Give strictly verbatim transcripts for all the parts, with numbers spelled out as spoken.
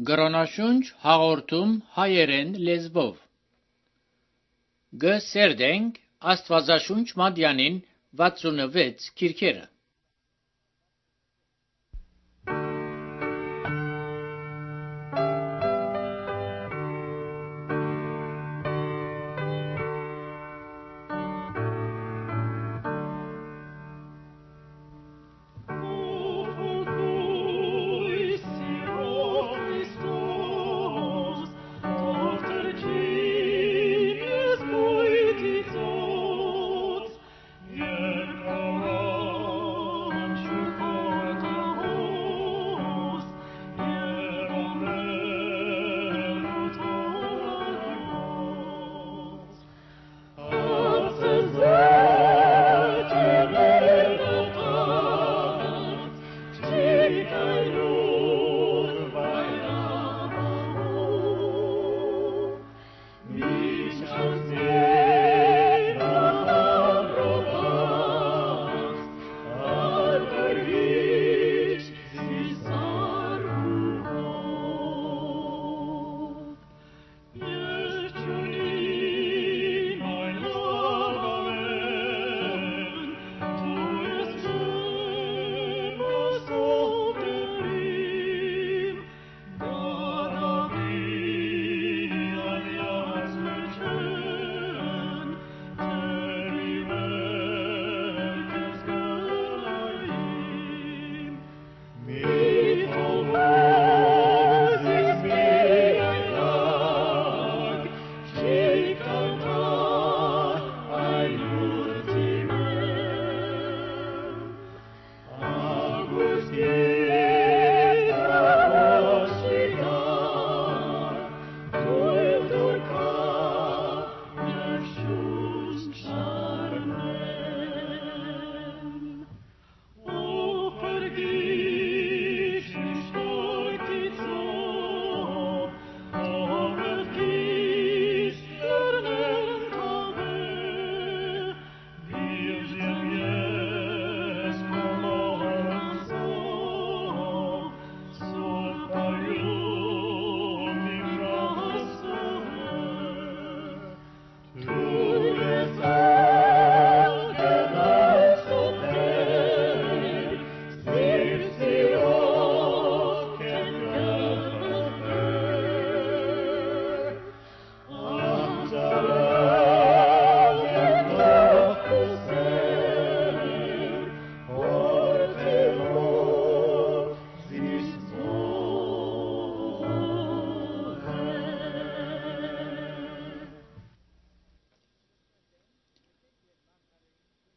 Գրոնաշունչ հաղորդում հայերեն լեզվով։ Գսերդենք Աստվածաշունչ Մատյանին վաթսունվեց քիրքերը։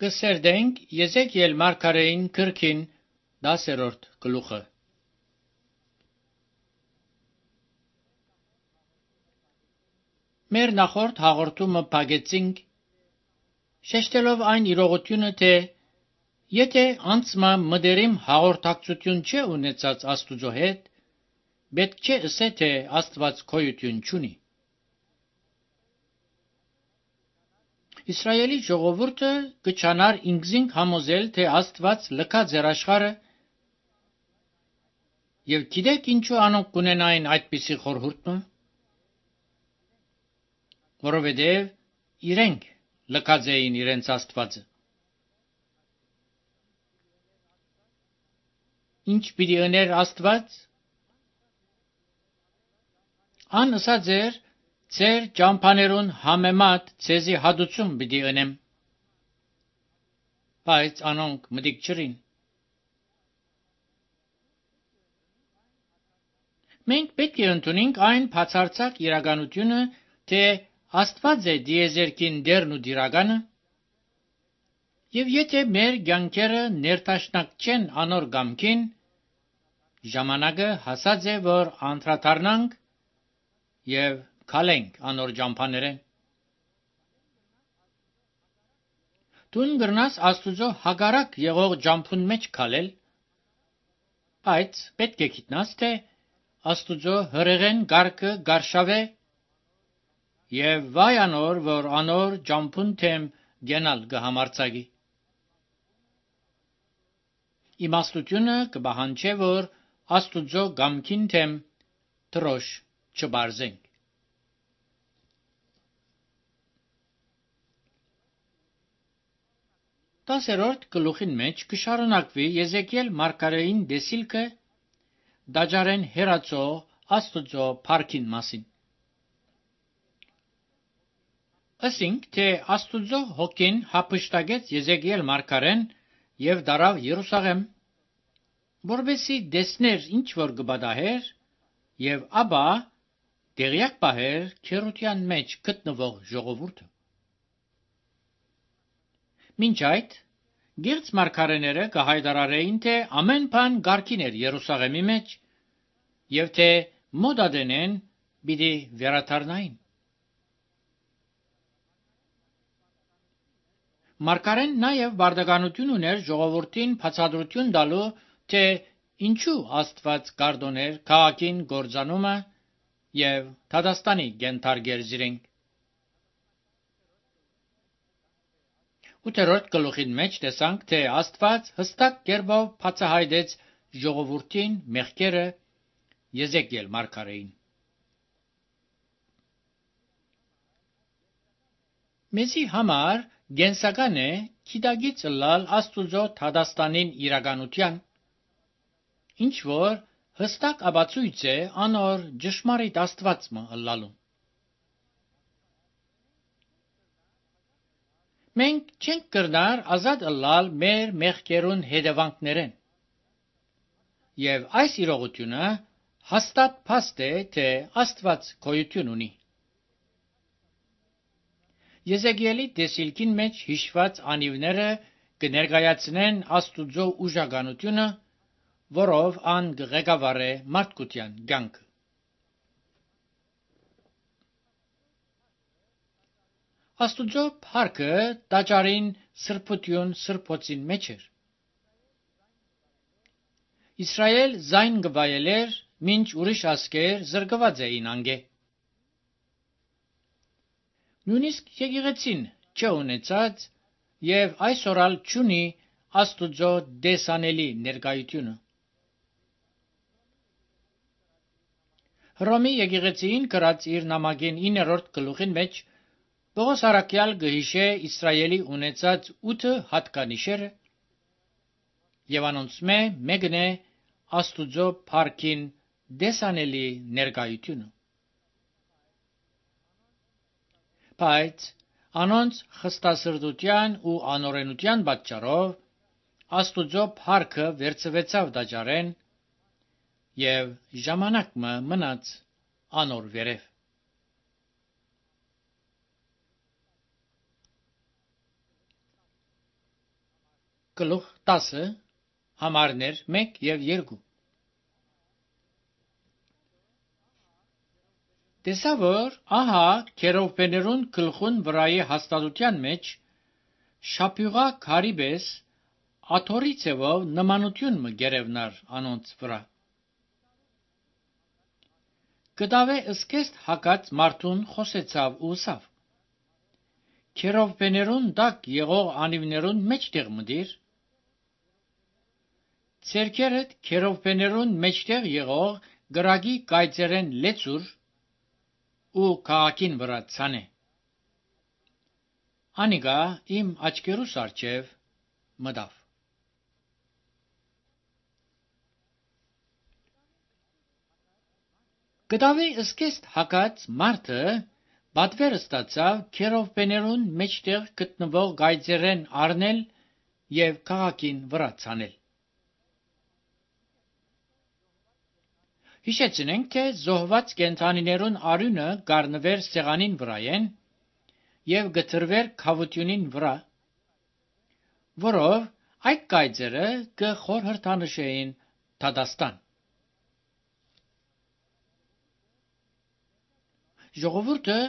Գսերդենք Եզեկիել մարգարեին քրքին դասերորդ գլուխը։ Մեր նախորդ հաղորդումը փակեցինք շեշտելով այն իրողությունը, թե եթե անցմա մդերիմ հաղորդակցություն չէ ունեցած Աստուծո հետ, պետք չէ ասե, թե Աստված գոյություն չունի։ Իսրայելի ժողովուրդը կչանար ինքզինք համոզել, թե Աստված լքած էր աշխարհը, եւ գիտեք ինչու անոնք կունենային այդպիսի խորհուրդը, որովհետեւ իրենք լքած էին իրենց Աստվածը։ Ինչ պիտի աներ Աստված։ Ան ասած էր, Ձեր ճամփաներուն համեմատ ցեզի հադուցում պիտի ընեմ, բայց անոնք մտիկ չրին։ Մենք պետք է ընդունենք այն բացարձակ իրականությունը, թե Աստված է դիեզերքին դերն ու դիրականը, եւ եթե մեր կյանքերը ներդաշնակ չեն անոր կամքին, ժամանակը հասած է, որ անդրադառնանք եւ քալենք անոր ճամփաներեն։ Դուն գրնաս Աստուծո հագարակ եղող ճամփուն մեջ քալել, բայց պետք է գիտնաս, թե Աստուծո հրեղեն գարկը գարշավե եւ վայ անոր, որ անոր ճամփուն թեմ գենալ կհամարցակի։ Իմաստությունը կբահանջե, որ Աստուծո գամքին թեմ թրոշ չբարձենք։ Տասերորդ գլուխին մեջ կշարունակվի Եզեկիել մարգարեին դեսիլքը դաջարեն հերացող Աստուծո փառքին մասին։ Ասինք, թե Աստուծո հոգին հափշտակեց Եզեկիել մարգարեն եւ դարավ Երուսաղեմ, որովհետեւ դեսներ ինչ որ գբադահեր եւ ապա դերյակ բահեր քերության մեջ գտնվող ժողովուրդը։ Մինչ այդ գերց մարգարեները կհայտարարեին, թե ամեն բան կարգին էր Երուսաղեմի մեջ եւ թե մոդադենեն պիտի վերադառնային։ Մարգարեն նաև բարդականություն ուներ ժողովրդին բացատրություն տալու, թե ինչու Աստված կարդոներ քաղաքին գործանումը եւ Թադաստանի գենթարգեր զիրենք։ Ութերորդ գլուխին մեջ տեսանք, թե Աստված հստակ կերպով բացահայտեց ժողովրդին մեղքերը Եզեկիել մարգարեին։ Մեզի համար գենսական է գիտագից լալ Աստուծո Թադաստանին իրականության, ինչ որ հստակ ապացույց է անոր ճշմարիտ Աստվածը լալու։ Մենք չենք կրնար ազատ լալ մեր մեղքերուն հետևանքներեն, եւ այս իրողությունը հաստատ փաստ է, թե Աստված գոյություն ունի։ Եզեկիելի տեսիլքին մեջ հիշված անիվները կներկայացնեն Աստուծո ուժականությունը, որով ան կղեկավարե մարդկության կյանքը։ Աստուծո փառքը տաճարին սրբություն սրբոցին մեջ էր։ Իսրայել զայն գվայելեր, մինչ ուրիշ ասկեր զրկված էին անգե։ Նույնիսկ եկեղեցին չունեցած եւ այսօրալ չունի Աստուծո դեսանելի ներկայությունը։ Հռոմի եկեղեցին գրած իր նամակին իններորդ գլուխին մեջ Պողոս առաքյալ գհիշե Իսրայելի ունեցած ութ հատկանիշերը եւ անոնցմե մեկն է Աստուծո փառքին դեսանելի ներկայությունը։ Բայց անոնց խստասրտության ու անօրենության պատճառով Աստուծո փառքը վերցվեցավ դաջարեն եւ ժամանակը մնաց անոր վերև։ Գլուխ տասը համարներ մեկ եւ երկու։ Տեսա որ ահա քերովբեներուն գլխուն վրայի հաստատության մեջ շապյուղա քարիբես աթորի ցևով նմանություն մը գերևնար անոնց վրա։ Կդավե ըսկեստ հակած մարդուն խոսեցավ ու սավ։ Քերովբեներուն դակ եղող անիվներուն մեջտեղ մդիր։ Ցերքերդ քերովբեներուն մեջտեղ եղող գրագի կայծերեն լեցուր ու քաղաքին վրա ցանե։ Անիգա իմ աչքերուս արջև մդավ։ Կդավի ըսկեստ հակած մարդը բատվեր ստացավ քերովբեներուն մեջտեղ գտնվող գայծերեն առնել եւ քաղաքին վրա ցանել։ Հիշեցնենք, թե զոհված կենդանիներուն արյունը գառնվեր սեղանին վրայեն եւ գտրվեր քավությունին վրա, որով այդ գայծերը կխորհրդանշեին Թադաստան։ Ժողովուրդը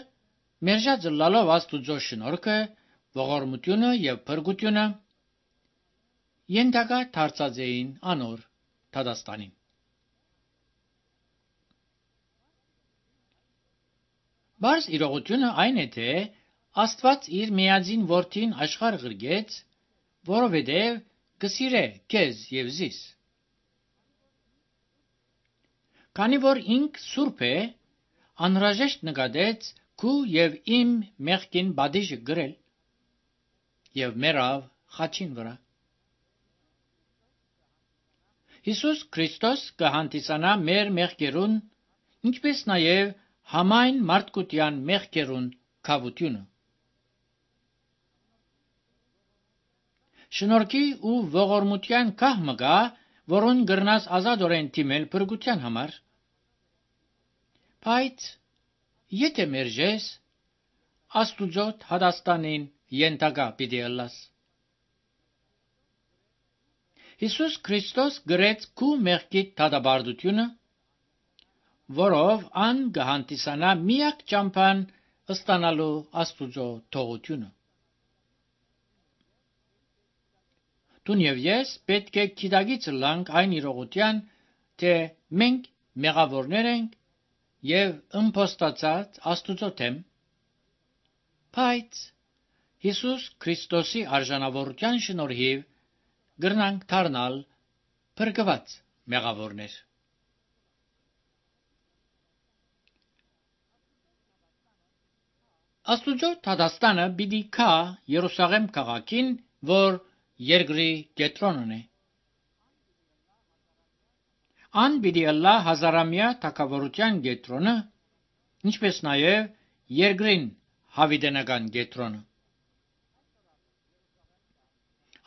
մերժած լալով Աստուծո շնորհքը, ողորմությունը եւ փրկությունը ենթակա դարձած էին անոր Թադաստանին։ Բայց իրողությունը այն է, թե Աստված իր միածին որդին աշխարհ ղրգեց, որովհետև կսիրե քեզ եւ զիս։ Քանի որ ինք սուրբ է, անհրաժեշտ նկատեց քու եւ իմ մեղքին բադիժը գրել եւ մեռավ խաչին վրա։ Հիսուս Քրիստոս կհանդիսանա մեր մեղքերուն, ինչպես նաեւ համայն մարդկության մեղքերուն քավությունը։ Շնորհքի ու ողորմության կահ մգա, որոն գրնաս ազատորեն թիմել փրկության համար։ Բայց եթե մերժես, Աստուծո հադաստանին ենթակա պիտի ըլլաս։ Հիսուս Քրիստոս գրեց քու մեղքի դատաբարդությունը, որով ան կհանդիսանա միակ ճամփան ստանալու Աստուծո թողությունը։ Դուն եւ ես պետք է գիտակից լանք այն իրողության, թե մենք մեղավորներ ենք եւ ըմբոստացած Աստուծո դեմ, բայց Հիսուս Քրիստոսի արժանավորության շնորհիվ գրնանք դառնալ փրկված մեղավորներ։ Աստուծո հադաստանը պիտի գա Երուսաղեմ քաղաքին, որ երկրի կենտրոնն է։ Ան պիտի ըլլա հազարամյա թագավորության կենտրոնը, ինչպես նաև երկրին հավիտենական կենտրոնը։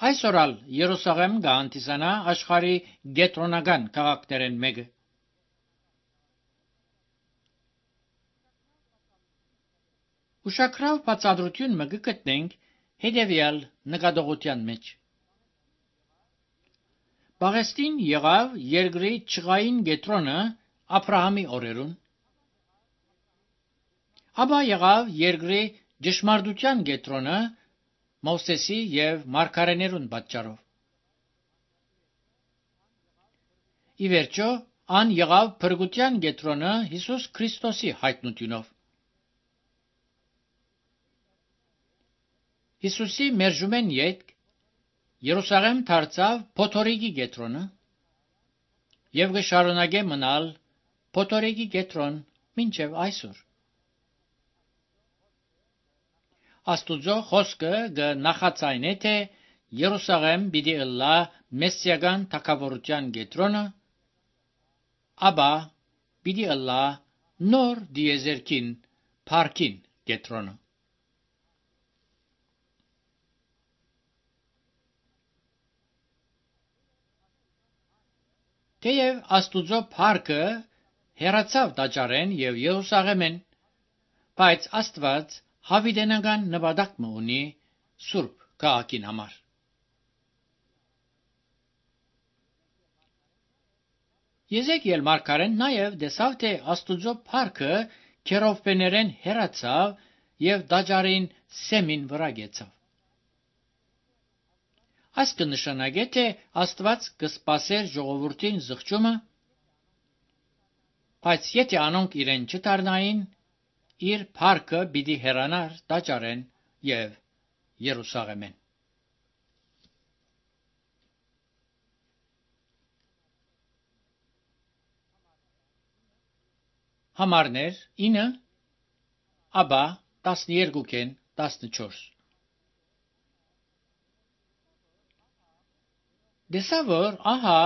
Այսօր Երուսաղեմ կհանդիսանա աշխարհի կենտրոնական քաղաքներեն մեկը։ Ուշագրավ բացատրություն մը գտնենք հետևյալ նկատողության մեջ։ Պաղեստին եղավ երկրի չղային կենտրոնը Աբրահամի օրերուն, ապա եղավ երկրի ճշմարտության կենտրոնը Մովսեսի եւ մարգարեներուն պատճառով։ Ի վերջո, ան եղավ փրկության կենտրոնը Հիսուս Քրիստոսի հայտնությունով։ Հիսուսի մերժումեն յետք Երուսաղեմ դարձավ փոթորիկի կենտրոնը եւ կշարունակե մնալ փոթորիկի կենտրոն մինչեւ այսօր։ Աստուծո խոսքը կնախածայնե, թե Երուսաղեմ պիտի ըլլա մեսսիական թագավորության կենտրոնը, ապա պիտի ըլլա նոր դիեզերքին փառքին կենտրոնը։ Թեև Աստուծո փառքը հեռացավ տաճարեն եւ Երուսաղեմեն, բայց Աստված հավիտենական նպատակ ունի Սուրբ քաղաքին համար։ Եզեկիել մարգարեն նաև տեսավ, թե Աստուծո փառքը քերովբեներեն հեռացավ եւ տաճարին սեմին վրա գեցավ։ Այս կնշանակե, թե Աստված կսպասեր ժողովրդին զղջումը, բայց եթե անոնք իրեն չդառնային, իր փառքը պիտի հեռանար տաճարեն եւ Երուսաղեմեն։ Համարներ ինը, ապա տասներկուքեն տասնչորս։ Դեսա որ ահա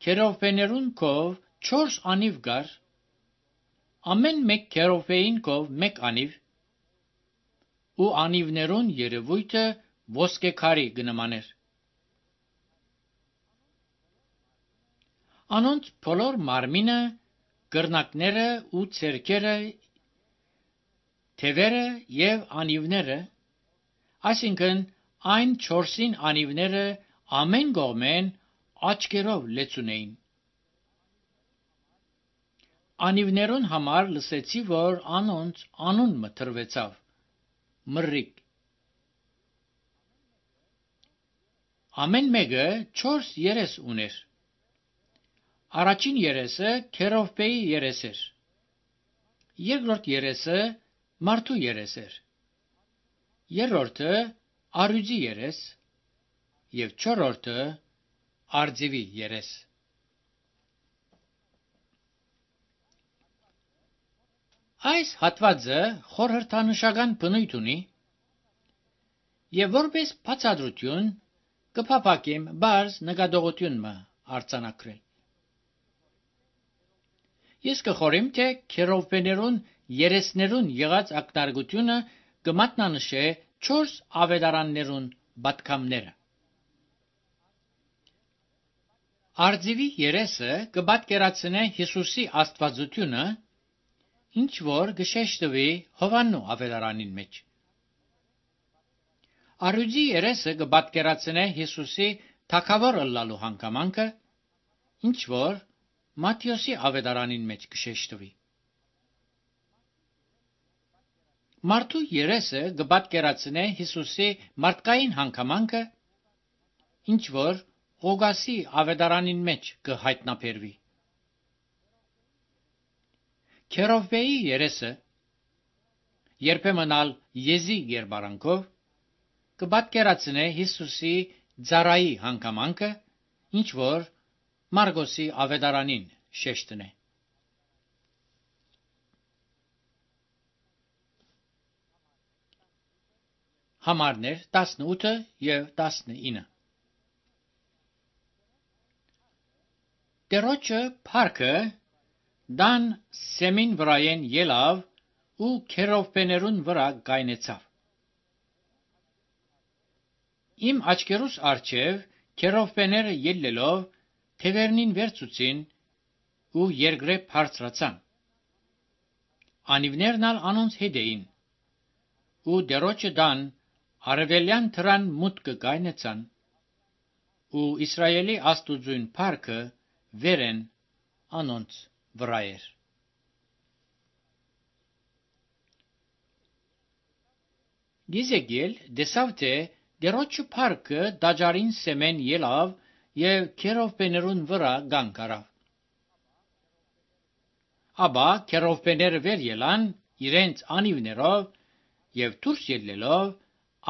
քերովբեներուն կով չորս անիվ գար, ամեն մեկ քերովբեին կով մեկ անիվ, ու անիվներուն երևույթը ոսկեքարի գնմաներ։ Անոնց բոլոր մարմինը, կրնակները ու ցերքերը, թևերը եւ անիվները, այսինքն այն չորսին անիվները ամեն կողմեն աչքերով լեցուն էին։ Անիվներուն համար լսեցի, որ անոնց անուն մտրվեցավ մռիկ։ Ամեն մեկը չորս երես ուներ։ Առաջին երեսը քերովբեի երես էր, երկրորդ երեսը մարդու երես էր, երրորդը արյուծի երես եւ չորրորդը՝ արձիվի երես։ Այս հատվածը խորհրդանշական բնույթ ունի եւ որպես բացատրություն կփափակեմ բարձ նկատողությունը արձանագրել։ Ես կխորեմ, թե քերովբեներուն երեսներուն եղած ակնարկությունը կմատնանշե չորս ավետարաններուն պատգամները։ Արձիվի երեսը կպատկերացնե Հիսուսի աստվածությունը, ինչ որ կշեշտվի Հովաննու ավետարանին մեջ։ Արուձի երեսը կպատկերացնե Հիսուսի թագավոր ըլլալու հանգամանքը, ինչ որ Մատթեոսի ավետարանին մեջ կշեշտվի։ Մարդու երեսը կպատկերացնե Հիսուսի մարդկային հանգամանքը, ինչ որ Ղուկասի ավետարանին մեջ կհայտնաբերվի։ Քերովբեի երեսը երբեմն ալ եզի երբարանքով կպատկերացնե Հիսուսի ծառայի հանգամանքը, ինչ որ Մարգոսի ավետարանին շեշտնե։ Համարներ տասնութ եւ տասնինը։ Տերոջը փառքը դան սեմին վրայեն ելավ ու քերովբեներուն վրա գայնեցավ։ Իմ աչքերուս առջև քերովբեները ելլելով թևերնին վերցուցին ու երկրե բարձրացան։ Անիվներն ալ անոնց հետ էին, ու դերոջը դան արևելյան թրան մուտքը գայնեցան, ու Իսրայելի աստուծուն փառքը վերեն անոնց վրա էր։ Գիզեգել դեսավ թե դերոջը փառքը դաջարին սեմեն ելավ եւ քերովբեներուն վրա գանք առավ։ Աբա քերովբեները վեր ելան իրենց անիվներով եւ դուրս ելնելով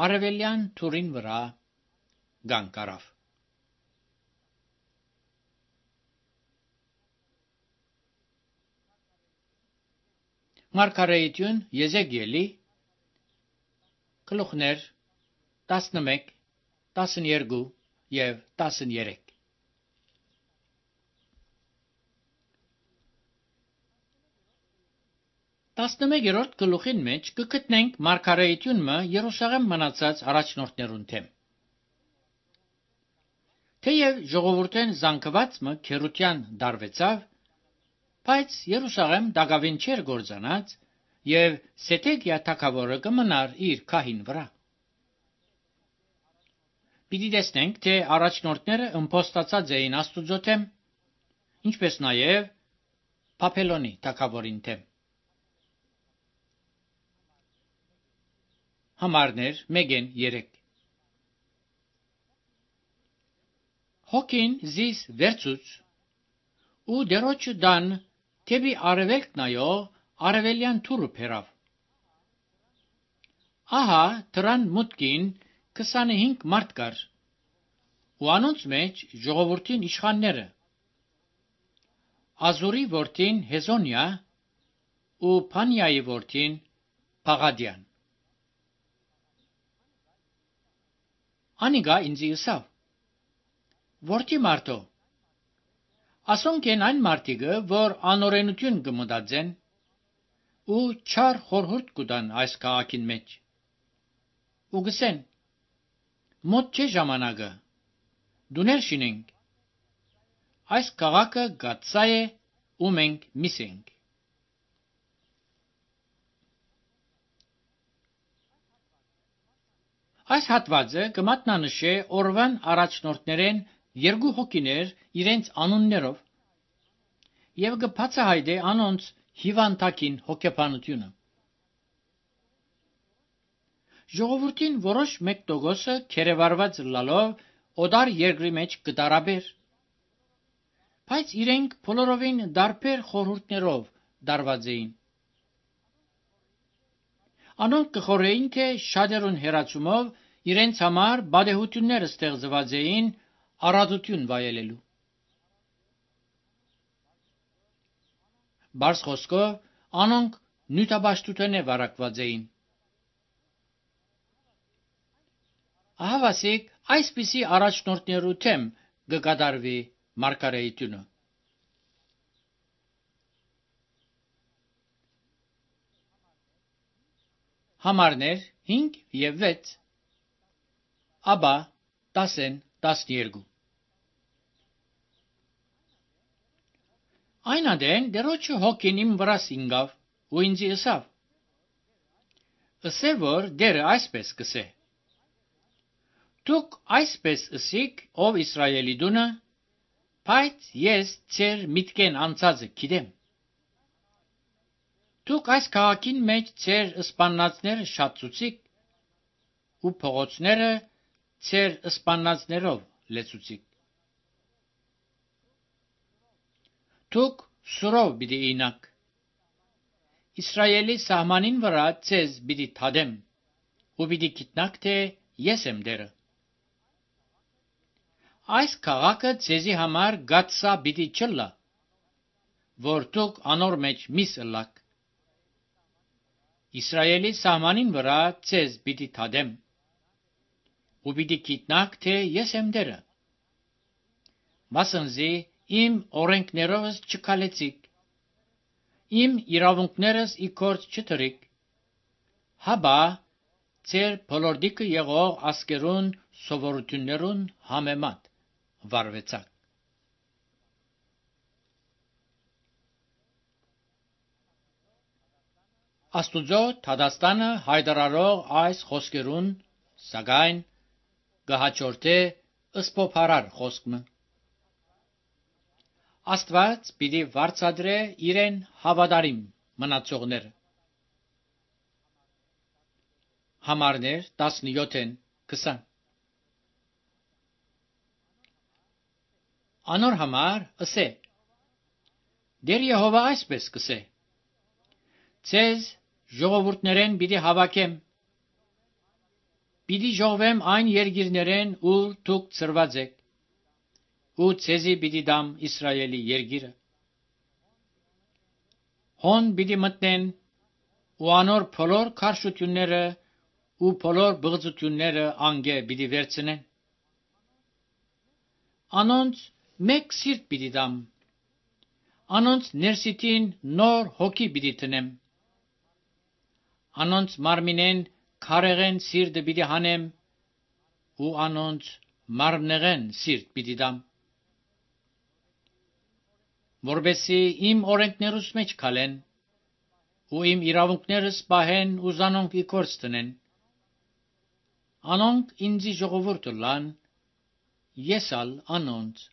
արևելյան թուրին վրա գանք առավ։ Մարգարեություն Եզեգիելի գլուխներ տասնմեկ, տասներկու եւ տասներեք։ տասնմեկերորդ գլուխին մեջ կգտնենք մարգարեությունը Երուսաղեմ մնացած առաջնորդներուն թեմ։ Թեև ժողովուրդեն զանգվածը քերության դարվեցավ, բայց Երուսաղեմ դակավին չէր գործանած եւ Սեդեկիա թագավորը կմնար իր քահին վրա։ Պիտի տեսնենք, թե առաջնորդները ըմբոստացած էին Աստուծո թեմ, ինչպես նաեւ Բաբելոնի թագավորին թեմ։ Համարներ մեկ երեք։ Հոգին զիս վերցուց ու դերոջը դան թեպի արևելք նայող արևելյան թուրը բերավ։ Ահա դրան մուտքին քսանհինգ մարդ կար, ու անոնց մեջ ժողովրդին իշխանները, Ազուրի որդին Հեզոնիա ու Փանիայի որդին Փաղադյան։ Անիգա ինձի ըսավ. Որդի մարդո, ասոնք են այն մարդիկը, որ անօրենություն կմտածեն ու չար խորհուրդ կտան այս քաղաքին մեջ։ Ու գսեն. մոտ չէ ժամանակը, դուներ շինենք, այս քաղաքը գացա է ու մենք միսենք։ Այս հատվածը կմատնանշե օրվան առաջնորդներեն երկու հոգիներ իրենց անուններով եւ կբացահայտե անոնց հիվանդակին հոգեբանությունը։ Ժողովրդին որոշ մեկ տոկոսը քերեվարված լալով օդար երկրի մեջ կդարաբեր, բայց իրենք բոլորովին դարբեր խորհուրդներով դարված էին։ Անոնք կխորեին, թե շատերուն հերացումով իրենց համար բադեհություններ ստեղծված էին առատություն վայելելու։ Բարձ խոսքով անոնք նյութաբաշխութենե վարակված էին։ Ահավասիկ այսպիսի առաջնորդներու թեմ կկատարվի մարգարեությունը։ Համարներ հինգ և վեց, աբա տասեն տասներկու։ Այն ադեն դերոջը հոգին իմ վրաս ինգավ ու ինձի ըսավ. ըսե որ դերը այսպես կսե. դուք այսպես ըսիք, ով Իսրայելի դունը, բայց ես ձեր միտքեն անցածը գիտեմ։ Դուք այս քաղաքին մեջ ձեր սպաննացները շատցուցիք ու փողոցները ձեր սպաննացներով լեցուցիք։ Դուք սուրով պիտի ինաք։ Իսրայելի սահմանին վրա ձեզ պիտի թադեմ ու պիտի գիտնաք, թե ես եմ դերը։ Այս քաղաքը ձեզի համար գացսա պիտի չլա, որ դուք անոր մեջ միս ըլլաք։ Իսրայելի սահմանին վրա ձեզ պիտի թադեմ ու պիտի գիտնաք, թե ես եմ դերը։ Մասնզի իմ օրենքներովս չքալեցիք, իմ իրավունքներս ի գործ չդրիք, հաբա ձեր բոլորդիկը եղող ասկերուն սովորություններուն համեմատ վարվեցաք։ Աստուծո թադաստանը հայտարարող այս խոսքերուն սակայն կհաջորդե ըսփոփարար խոսքմը։ Աստված պիտի վարձատրե իրեն հավատարիմ մնացողները։ Համարներ տասնյոթեն քսան։ Անոր համար ըսե. Դեր Եհովա այսպես կսե. Ձեզ ժողովուրդներեն պիտի հավաքեմ, պիտի ժողվեմ այն երկիրներեն, ուր դուք ծրված եք, ու ձեզի պիտի դամ Իսրայելի երկիրը։ Հոն պիտի մտնեն ու անոր բոլոր քարշությունները ու բոլոր բղծությունները անգե պիտի վերցնեն։ Անոնց մեկ սիրտ պիտի դամ, անոնց ներսիտին նոր հոգի պիտի տնեմ, անոնց մարմինեն քարեղեն սիրտը պիտի հանեմ ու անոնց մարմնեղեն սիրտ պիտի դամ, որբեսի իմ օրենքներուս մեջ քալեն ու իմ իրավունքներս պահեն ու զանոնք ի գործ տնեն։ Անոնք ինձի ժողովուրդ ըլլան, ես ալ անոնց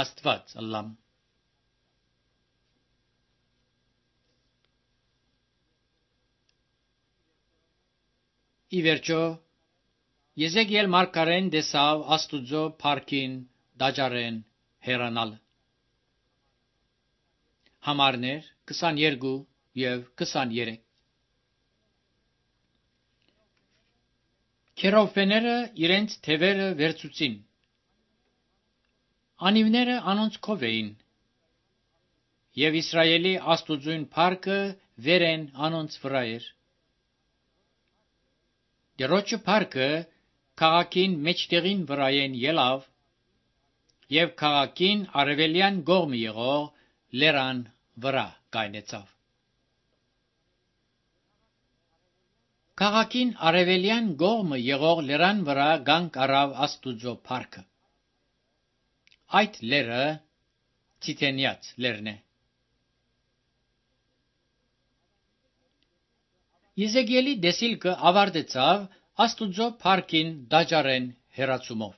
Աստված ըլլամ։ Ի վերջո Եզեկիել մարգարեն տեսավ Աստուծո փառքին դաջարեն հեռանալ։ Համարներ քսաներկու և քսաներեք։ Քերովբեները իրենց թևերը վերցուցին, անիվները անոնց քով էին, և Իսրայելի Աստուծոյն փառքը վերեն անոնց վրա էր։ Դերոջը փառքը քաղաքին մեջտեղին վրայեն ելավ, և քաղաքին արևելյան կողմը եղող լերան վրա կայնեցավ։ Քաղաքին արևելյան կողմը եղող լերան վրա կանգ առավ Աստուծո փառքը։ Այդ լերը Ցիթենյաց լերն է։ Եզեկիելի դեսիլքը ավարտեցավ Աստուծո փառքին դաջարեն հեռացումով։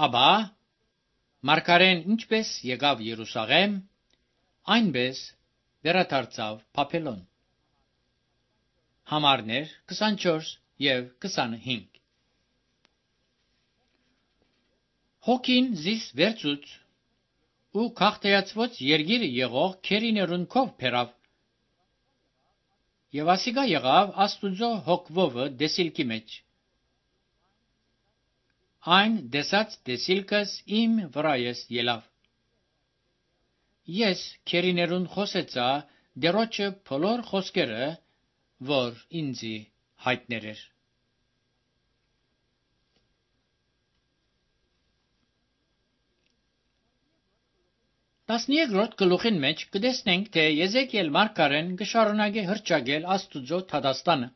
Աբա մարգարեն ինչպես եկավ Երուսաղեմ, այնպես վերադարձավ Բաբելոն։ Համարներ քսանչորս և քսանհինգ։ Հոգին զիս վերցուց ու քաղցրացված երկիրը եղող քերիներուն քով բերավ, և ասիկա եղավ Աստուծո հոգվովը դեսիլքի մեջ։ Այն դեսած դեսիլքս իմ վրայես ելավ, Ես քերիներուն խոսեցա դերոջը բոլոր խոսքերը, որ ինձի հայտներ էր։ տասներորդ գլուխին մեջ կտեսնենք, թե Եզեկիել մարգարեն կշարունակի հռչակել Աստուծո թադաստանը։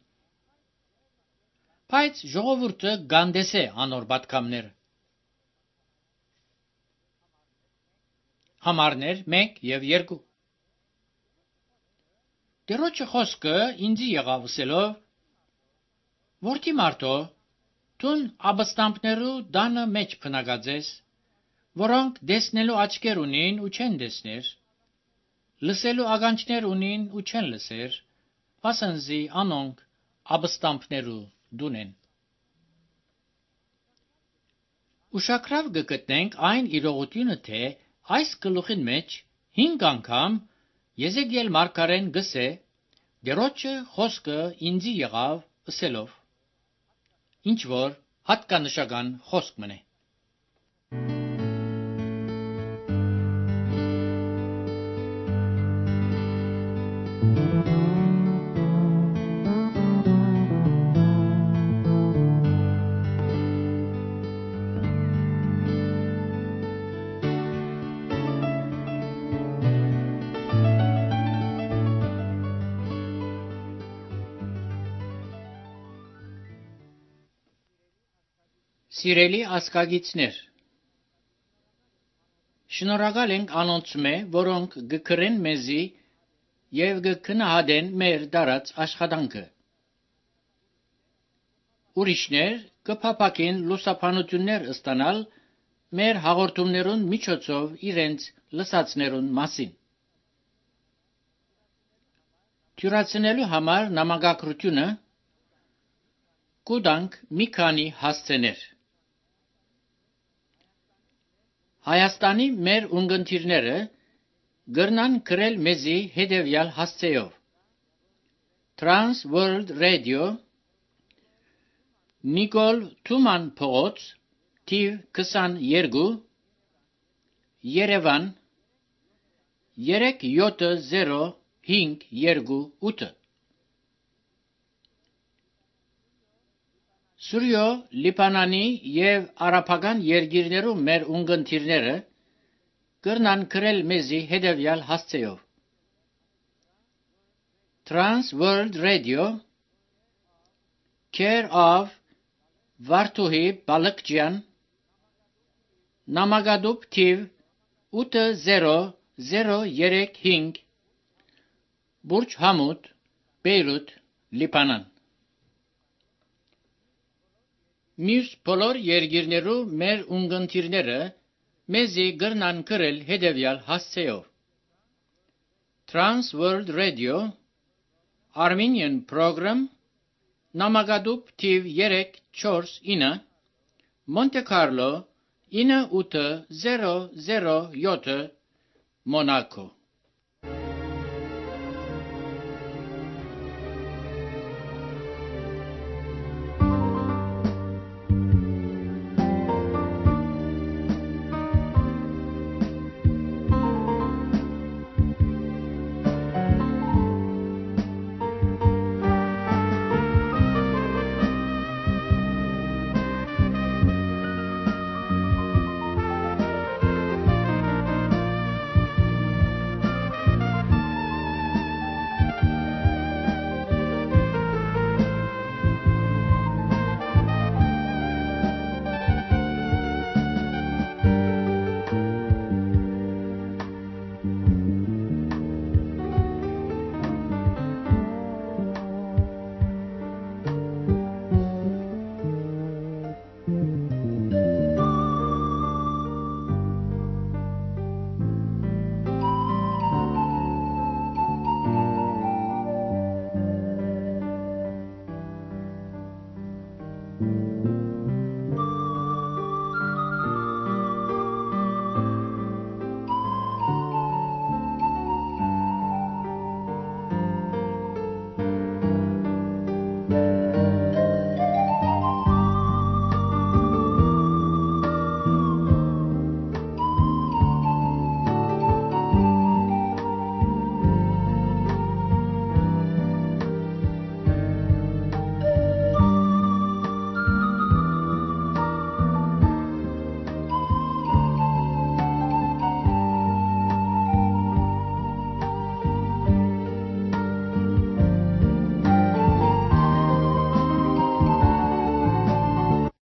Բայց ժողովուրդը գանդես է անոր պատգամները։ Համարներ մեկ եւ երկու։ Տերոջը խոսքը ինձի եղավ ասելով. Որդի մարդո, տուն աբստամբներու դանը մեջ փնագած ես, որոնք դեսնելու աչքեր ունին ու չեն դեսներ, լսելու ականջներ ունին ու չեն լսեր, ասանզի անոնք աբստամբներու դունեն։ Ուշագրավ կգտնենք այն իրողությունը, թե այս գլուխին մեջ հինգ անգամ Եզեկիել մարգարեն գսե դերոջը խոսքը ինձի եղավ ասելով, ինչ որ հատկանշական խոսք մնե։ Սիրելի ասկագիցներ, շնորհակալ ենք անոնցմե, որոնք գկրեն մեզի եւ գքնահատեն մեր դարած աշխատանքը։ Ուրիշներ կփապակեն լուսապանություններ ստանալ մեր հաղորդումներուն միջոցով իրենց լսածներուն մասին։ Թյուրացնելու համար նամակագրությունը կուտանք մի քանի հասցեներ։ Հայաստանի մեր ունգընտիրները գրնան գրել մեզի հետևյալ հասցեով. Trans World Radio, Նիկոլ Թուման փողոց, թիվ քսաներկու, Երևան, երեք յոթ զիրո հինգ երկու ութ։ Սուրյո, Լիբանանի եւ արաբական երկիրներու մեր ունգընտիրները կրնան գրել մեզի հետևյալ հասցեով. Trans World Radio, Care of Վարդուհի Բալկջյան, Նամակադուբ թիվ ութ զիրո զիրո երեք հինգ, Բուրջ Համուդ, Բեյրութ, Լիբանան։ Մյուս բոլոր երկիրներու մեր ունգընտիրները մեզի գրնան գրել հետևյալ հասցեով. Trans World Radio, Armenian Program, Նամակադուբ թիվ երեք չորս ինը, Monte Carlo ինը ութ զիրո զիրո յոթ, Մոնակո։